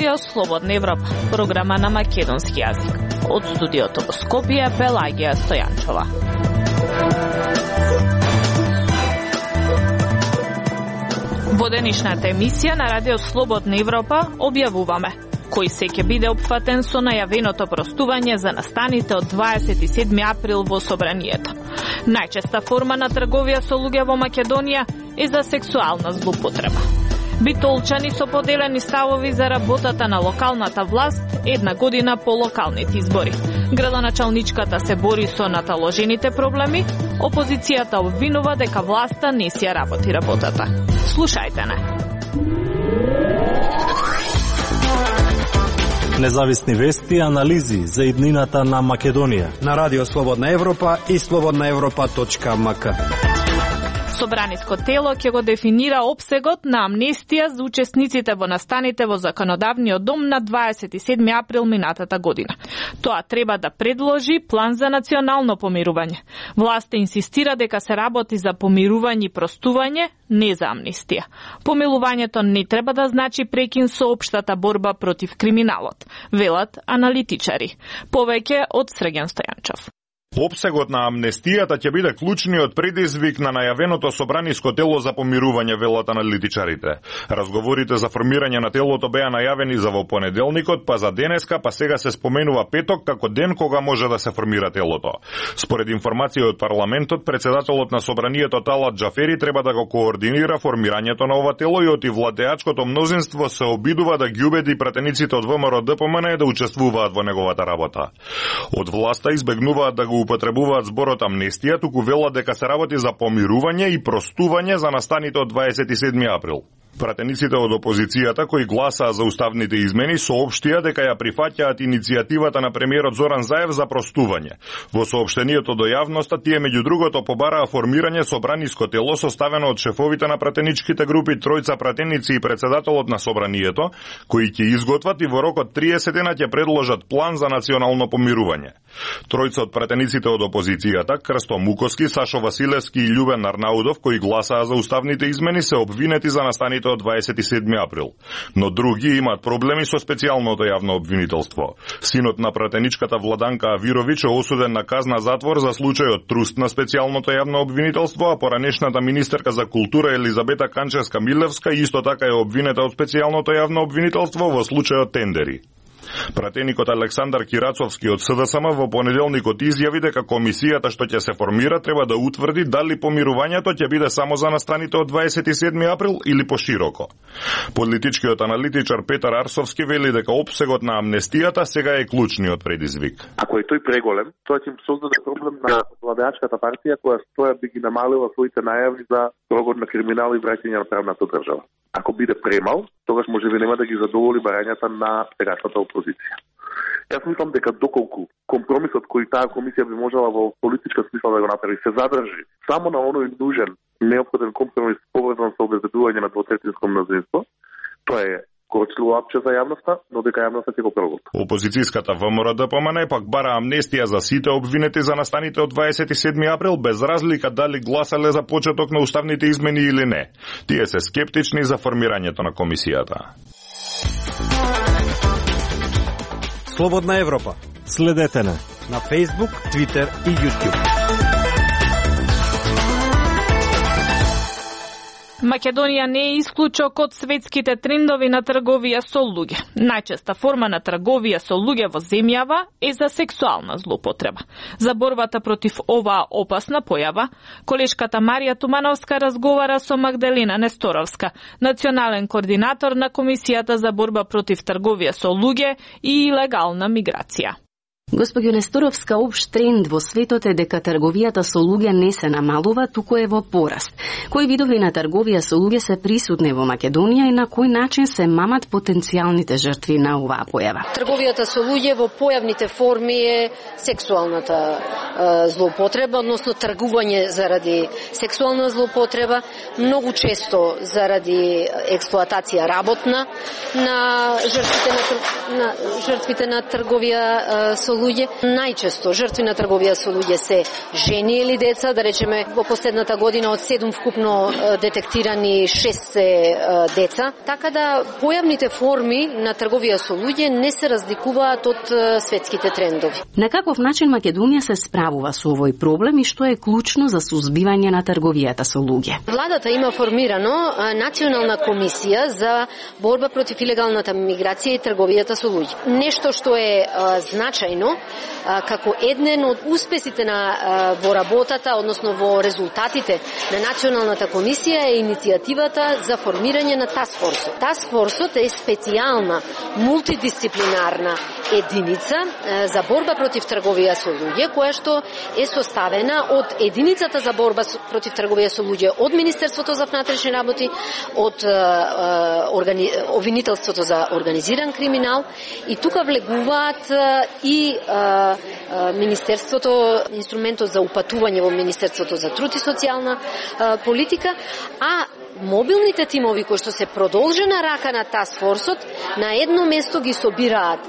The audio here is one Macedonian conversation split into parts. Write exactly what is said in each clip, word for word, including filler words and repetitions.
Радио Слободна Европа, програма на македонски јазик. Од студиото во Скопје, Пелагија Стојанчова. Во денешната емисија на Радио Слободна Европа објавуваме кој се ќе биде опфатен со најавеното простување за настаните од дваесет и седми април во собранието. Најчеста форма на трговија со луѓе во Македонија е за сексуална злоупотреба. Битолчани со поделени ставови за работата на локалната власт една година по локалните избори. Градоначалничката се бори со наталожените проблеми, опозицијата обвинува дека власта не си ја работи работата. Слушајте не. Независни вести и анализи за иднината на Македонија на Радио Слободна Европа и слободна европа точка ем ка. Собраниско тело ќе го дефинира опсегот на амнестија за учесниците во настаните во Законодавниот дом на дваесет и седми април минатата година. Тоа треба да предложи план за национално помирување. Власта инсистира дека се работи за помирување и простување, не за амнестија. Помилувањето не треба да значи прекин со општата борба против криминалот, велат аналитичари. Повеќе од Сргјан Стојанчов. Опсегот на амнестијата ќе биде клучниот предизвик на најавеното собраниско тело за помирување, велат аналитичарите. Разговорите за формирање на телото беа најавени за во понеделникот, па за денеска, па сега се споменува петок како ден кога може да се формира телото. Според информација од парламентот, председателот на собранието Талат Џафери треба да го координира формирањето на ова тело и од и владеачкото мнозинство се обидува да ги убеди пратениците од ВМРО Д П М Н да учествуваат во неговата работа. Од власта избегнуваат да го употребуваат зборот амнестија, туку велат дека се работи за помирување и простување за настаните од дваесет и седми април. Пратениците од опозицијата кои гласаа за уставните измени соопштија дека ја прифаќаат иницијативата на премиерот Зоран Заев за простување. Во соопштението до јавноста тие меѓу другото побараа формирање собраниско тело составено од шефовите на пратеничките групи, тројца пратеници и председателот на собранието, кои ќе изготват и во рок од триесет дена ќе предложат план за национално помирување. Тројца од пратениците од опозицијата, Крсто Муковски, Сашо Василевски и Љубен Арнаудов, кои гласаа за уставните измени, се обвинети за настаните од дваесет и седми април. Но други имаат проблеми со специјалното јавно обвинителство. Синот на пратеничката Владанка Авировиќ е осуден на казна затвор за случајот труст на специјалното јавно обвинителство, а поранешната министерка за култура Елизабета Канчевска-Милевска исто така е обвинета од специјалното јавно обвинителство во случајот тендери. Пратеникот Александар Кирацовски од С Д С М во понеделникот изјави дека комисијата што ќе се формира треба да утврди дали помирувањето ќе биде само за настаните од дваесет и седми април или пошироко. Политичкиот аналитичар Петар Арсовски вели дека опсегот на амнестијата сега е клучниот предизвик. Ако е тој преголем, тоа ќе им создаде проблем на владеачката партија која стоја би ги намалила своите најави за прогон на криминал и враќање на правната држава. Ако биде премал, тогаш можеби нема да ги задоволи барањата на сегашната опозиција. Јас мислам дека доколку компромисот кој таа комисија би можела во политичка смисла да го направи се задржи само на оној нужен неопходен компромис поврзан со обезбедување на двотретинско мнозинство, тоа е корчливо апче за јавноста, но дека јавноста ќе го проголта. Опозицијската ВМРО Д П М Н пак бара амнестија за сите обвинети за настаните од дваесет и седми април без разлика дали гласале за почеток на уставните измени или не. Тие се скептични за формирањето на комисијата. Слободна Европа. Следете на на Facebook, Twitter и YouTube. Македонија не е исклучок од светските трендови на трговија со луѓе. Најчеста форма на трговија со луѓе во земјава е за сексуална злоупотреба. За борбата против оваа опасна појава, колешката Марија Тумановска разговара со Магдалина Несторовска, национален координатор на Комисијата за борба против трговија со луѓе и илегална миграција. Госпоѓо Несторовска, општ тренд во светот е дека трговијата со луѓе не се намалува, туку е во пораст. Кои видови на трговија со луѓе се присутни во Македонија и на кој начин се мамат потенцијалните жртви на оваа појава? Трговијата со луѓе во појавните форми е сексуалната е, злоупотреба, односно тргување заради сексуална злоупотреба, многу често заради експлоатација работна на жртвите на, на жртвите на трговија е, со луѓе. Најчесто жртви на трговија со луѓе се жени или деца, да речеме во последната година од седум вкупно детектирани шест се деца, така да појавните форми на трговија со луѓе не се разликуваат од светските трендови. На каков начин Македонија се справува со овој проблем и што е клучно за сузбивање на трговијата со луѓе? Владата има формирано национална комисија за борба против илегалната миграција и трговијата со луѓе. Нешто што е а, значајно а, како еден од успесите на а, во работата, односно во резултатите на националната комисија е иницијативата за формирање на таскфорсот. Таскфорсот е специјална мултидисциплинарна единица а, за борба против трговија со луѓе, која што е составена од единицата за борба против трговија со луѓе од Министерството за внатрешни работи, од а, органи... обвинителството за организиран криминал, и тука влегуваат а, и а, а, Министерството, инструментот за упатување во Министерството за труд и социјална а, политика, а мобилните тимови кои што се продолжена рака на таскфорсот на едно место ги собираат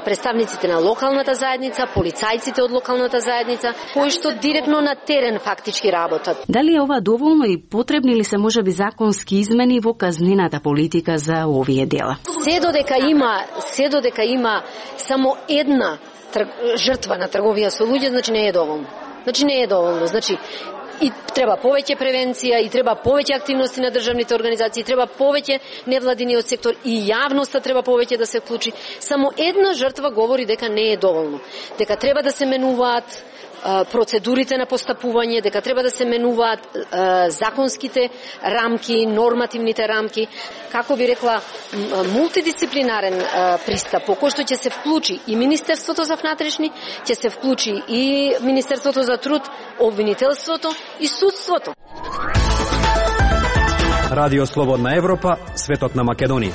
представниците на локалната заедница, полицајците од локалната заедница, кои што директно на терен фактички работат. Дали е ова доволно и потребни ли се можеби законски измени во казнената политика за овие дела? Се додека има, се додека има само една тр... жртва на трговија со луѓе, значи не е доволно. Значи не е доволно. Значи и треба повеќе превенција, и треба повеќе активности на државните организации, треба повеќе невладиниот сектор и јавноста треба повеќе да се вклучи. Само една жртва говори дека не е доволно. Дека треба да се менуваат процедурите на постапување, дека треба да се менуваат а, законските рамки, нормативните рамки, како би рекла, мултидисциплинарен а, пристап, по кој што ќе се вклучи и Министерството за внатрешни, ќе се вклучи и Министерството за труд, обвинителството и судството. Радио Слободна Европа, светот на Македонија.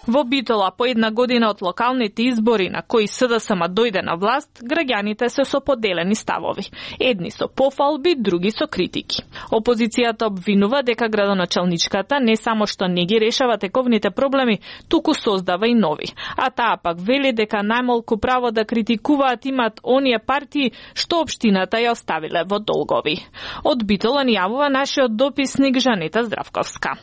Во Битола, по една година од локалните избори на кои СДСМ дојде на власт, граѓаните се со поделени ставови. Едни со пофалби, други со критики. Опозицијата обвинува дека градоначалничката не само што не ги решава тековните проблеми, туку создава и нови. А таа пак вели дека најмалку право да критикуваат имат оние партии што општината ја оставиле во долгови. Од Битола ни јавува нашиот дописник Жанета Здравковска.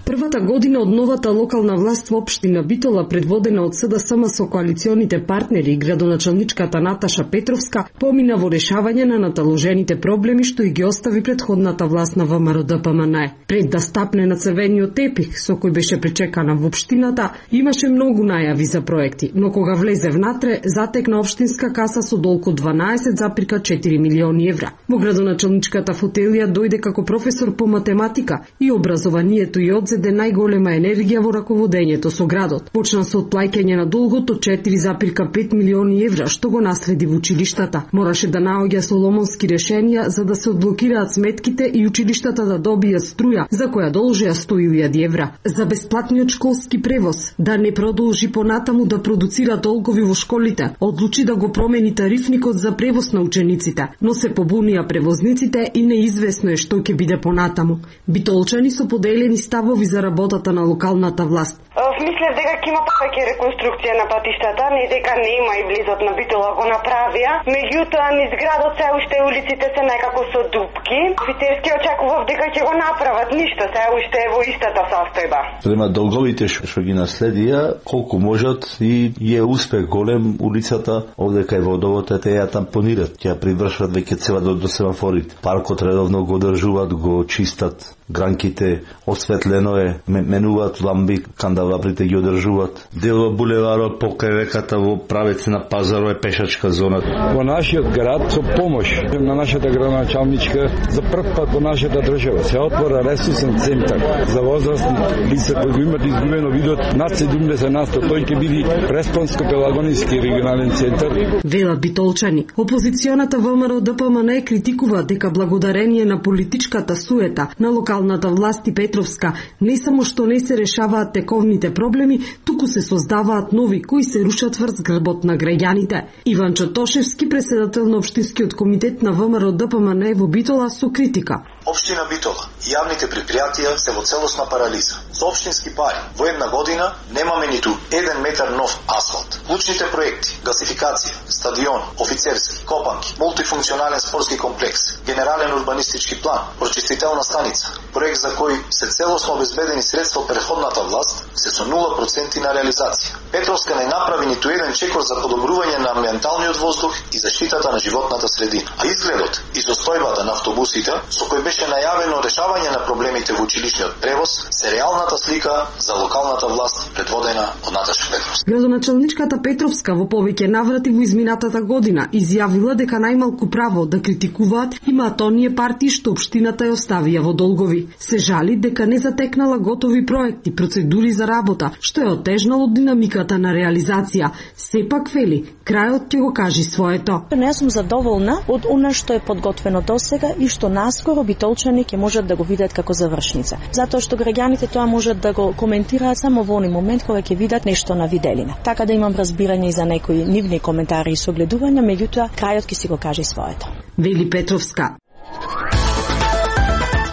Првата година од новата локална власт во општина Битола, предводена од СДСМ со коалиционите партнери и градоначалничката Наташа Петровска, помина во решавање на наталожените проблеми што и ги остави претходната власт на ВМРО Д П М Н Е. Пред да стапне на црвениот тепих со кој беше пречекана во општината, имаше многу најави за проекти, но кога влезе внатре, затекна општинска каса со долг од дванаесет запирка четири милиони евра. Во градоначалничката фотелија дојде како професор по математика и образованието и одзеде најголема енергија во раководењето со градот. Почна со отплаќање на долгот од четири запирка пет милиони евра што го наследи во училиштата. Мораше да наоѓа соломонски решенија за да се одблокираат сметките и училиштата да добијат струја, за која должеа сто илјади евра. За бесплатниот школски превоз, да не продолжи понатаму да продуцира долгови во школите, одлучи да го промени тарифникот за превоз на учениците, но се побунија превозниците и неизвестно е што ќе биде понатаму. Битолчани со поделени ставови за работата на локалната власт. Мислев дека ќе има повеќе реконструкција на патиштата, не дека не има и близот на Битола го направија. Меѓутоа, низ градот се уште улиците се некако со дупки. Офицерски очекував дека ќе го направат, ништо, се уште е во истата состојба. Према долговите што ги наследија, колку можат и е успех голем улицата, овде кај водовод те ја тампонират, ќе ја привршват веќе цела до, до семафорите. Паркот редовно го одржуваат, го чистат, гранките осветлено е, менуваат ламби, кандалабрите ги одржуваат. Дел од булеварот покрај реката во правец на Пазаро е пешачка зона. Во нашиот град со помош на нашата градоначалничка за прв пат во нашата држава се отвора ресурсен центар за возрастни лица кои го имат изгубено видот над седумдесет на сто. Тој ќе биде Преспанско-Пелагонски регионален центар. Велат битолчани. Опозиционата ВМРО Д П М Н Е критикува дека благодарение на политичката суета на локал локалната власт и Петровска не само што не се решаваат тековните проблеми, туку се создаваат нови кои се рушат врз грбот на граѓаните. Иван Чотошевски, председател на Општинскиот комитет на ВМРО Д П М Н во Битола, со критика. Општина Битола и јавните предпријатија се во целосна парализа. Со општински пари во една година немаме ниту еден метар нов асфалт. Клучните проекти, гасификација, стадион, офицерски, копанки, мултифункционален спортски комплекс, генерален урбанистички план, прочистителна станица, проект за кој се целосно обезбедени средства од претходната власт, се со нула проценти на реализација. Петровска не направи ниту еден чекор за подобрување на амбиенталниот воздух и заштитата на животната средина. А изгледот и состојбата на автобусите, со кој беше најавено решавање на проблемите во училишниот превоз, се реалната слика за локалната власт предводена од Наташа Петровска. Градоначалничката Петровска во повеќе наврати во изминатата година изјавила дека најмалку право да критикуваат имаат оние партии што општината ја оставија во долгови. Се жали дека не затекнала готови проекти, процедури за работа, што е отежнало динамиката на реализација. Сепак вели, крајот ќе го кажи своето. Не сум задоволна од она што е подготвено досега и што наскоро битолчани ќе можат да го видат како завршница. Затоа што граѓаните тоа можат да го коментираат само во оној момент кога ќе видат нешто на виделина. Така да имам разбирање и за некои нивни коментари и согледувања, меѓутоа крајот ќе си го каже своето. Вели Петровска.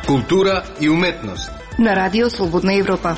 Култура и уметност на Радио Слободна Европа.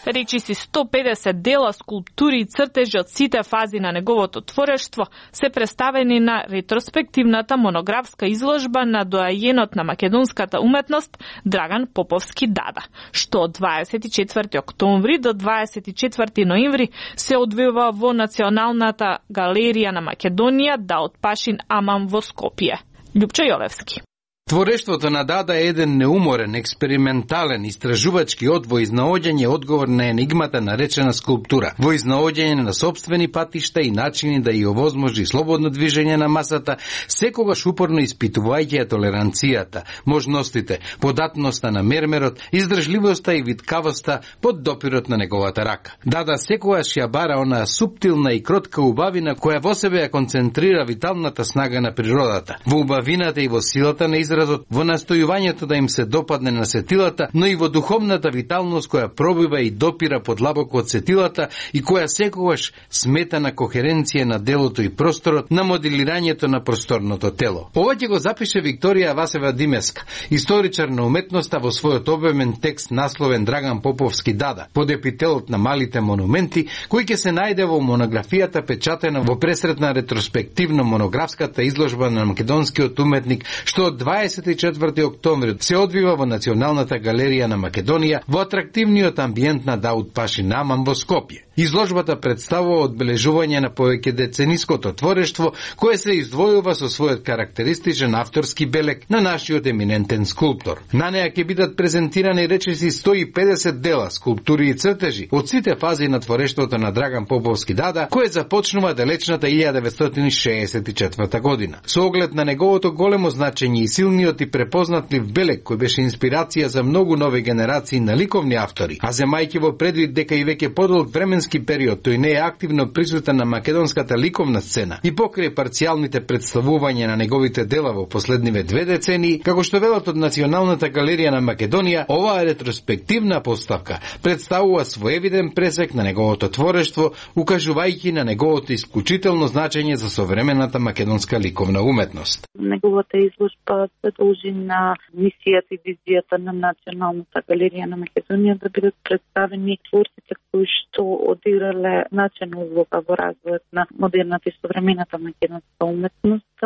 Речиси сто педесет дела, скулптури и цртежи од сите фази на неговото творештво се представени на ретроспективната монографска изложба на доајенот на македонската уметност Драган Поповски Дада, што од дваесет и четврти октомври до дваесет и четврти ноември се одвива во Националната галерија на Македонија Даут Пашин Амам во Скопје. Љупчо Јовевски. Творештвото на Дада е еден неуморен, експериментален, истражувачки од во изнаоѓање одговор на енигмата наречена скулптура, во изнаоѓање на собствени патишта и начини да ја овозможи слободно движење на масата, секогаш упорно испитувајќи ја толеранцијата, можностите, податноста на мермерот, издржливоста и виткавоста под допирот на неговата рака. Дада секогаш ја бара онаа суптилна и кротка убавина која во себе ја концентрира виталната снага на природата, во убавината и во силата на изразот, во настојувањето да им се допадне на сетилата, но и во духовната виталност која пробива и допира подлабоко од сетилата и која секогаш смета на кохеренција на делото и просторот, на моделирањето на просторното тело. Ова ќе го запише Викторија Васева Димеска, историчар на уметноста, во својот обемен текст насловен Драган Поповски Дада, под епителот на малите монументи, кој ќе се најде во монографијата печатена во пресретна ретроспективно монографската изложба на македонскиот уметник, што од дваесет и четврти октомври се одвива во Националната галерија на Македонија во атрактивниот амбиент на Даут Пашин Амам во Скопје. Изложбата представува одбележување на повеќе децениското творештво, кое се издвојува со својот карактеристичен авторски белег на нашиот еминентен скулптор. На неа ќе бидат презентирани речиси сто и педесет дела, скулптури и цртежи од сите фази на творештвото на Драган Поповски Дада, кое започнува далечната илјада деветстотини шеесет и четврта година. Со оглед на неговото големо значење и силниот и препознатлив белег кој беше инспирација за многу нови генерации на ликовни автори, а земајќи во предвид дека и веќе подолг временски период тој не е активно присутен на македонската ликовна сцена и покрај парцијалните представувања на неговите дела во последниве две децении, како што велат од Националната галерија на Македонија, оваа ретроспективна поставка представува своевиден пресек на неговото творештво, укажувајќи на неговото исклучително значење за современата македонска ликовна уметност. Неговата изложба се должи на мисијата и визијата на Националната галерија на Македонија да бидат представени творците кои што одиграле значајна улога во развојот на модерната и современата македонска уметност,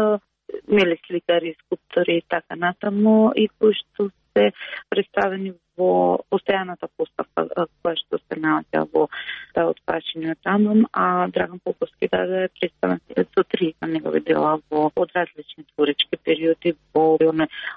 мели сликари, скулптори и така натаму, и кои што се представени во постојаната поставка која што се наоѓа во Даут Пашин Амам, а Драган Поповски Дада е представен со три на негови дела во од различни творечки периоди во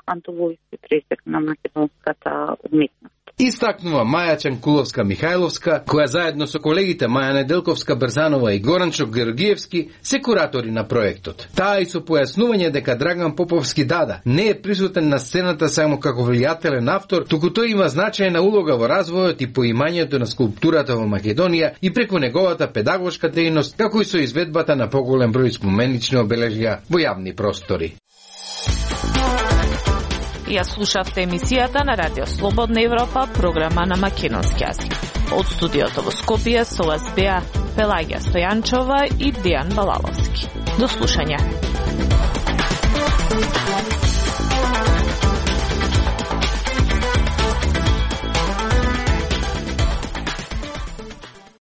антологиски пресек на македонската уметност. Истакнува Маја Чанкуловска-Михајловска, која заедно со колегите Маја Неделковска-Брзанова и Горанчо Георгиевски се куратори на проектот. Таа и со појаснување дека Драган Поповски Дада не е присутен на сцената само како влијателен автор, туку тој има значајна улога во развојот и поимањето на скулптурата во Македонија и преку неговата педагошка дејност, како и со изведбата на поголем број споменични обележја во јавни простори. Ја слушавте емисијата на Радио Слободна Европа, програма на македонски јазик. Од студиото во Скопје со вас беа Пелагија Стојанчова и Дијан Балаловски. До слушање.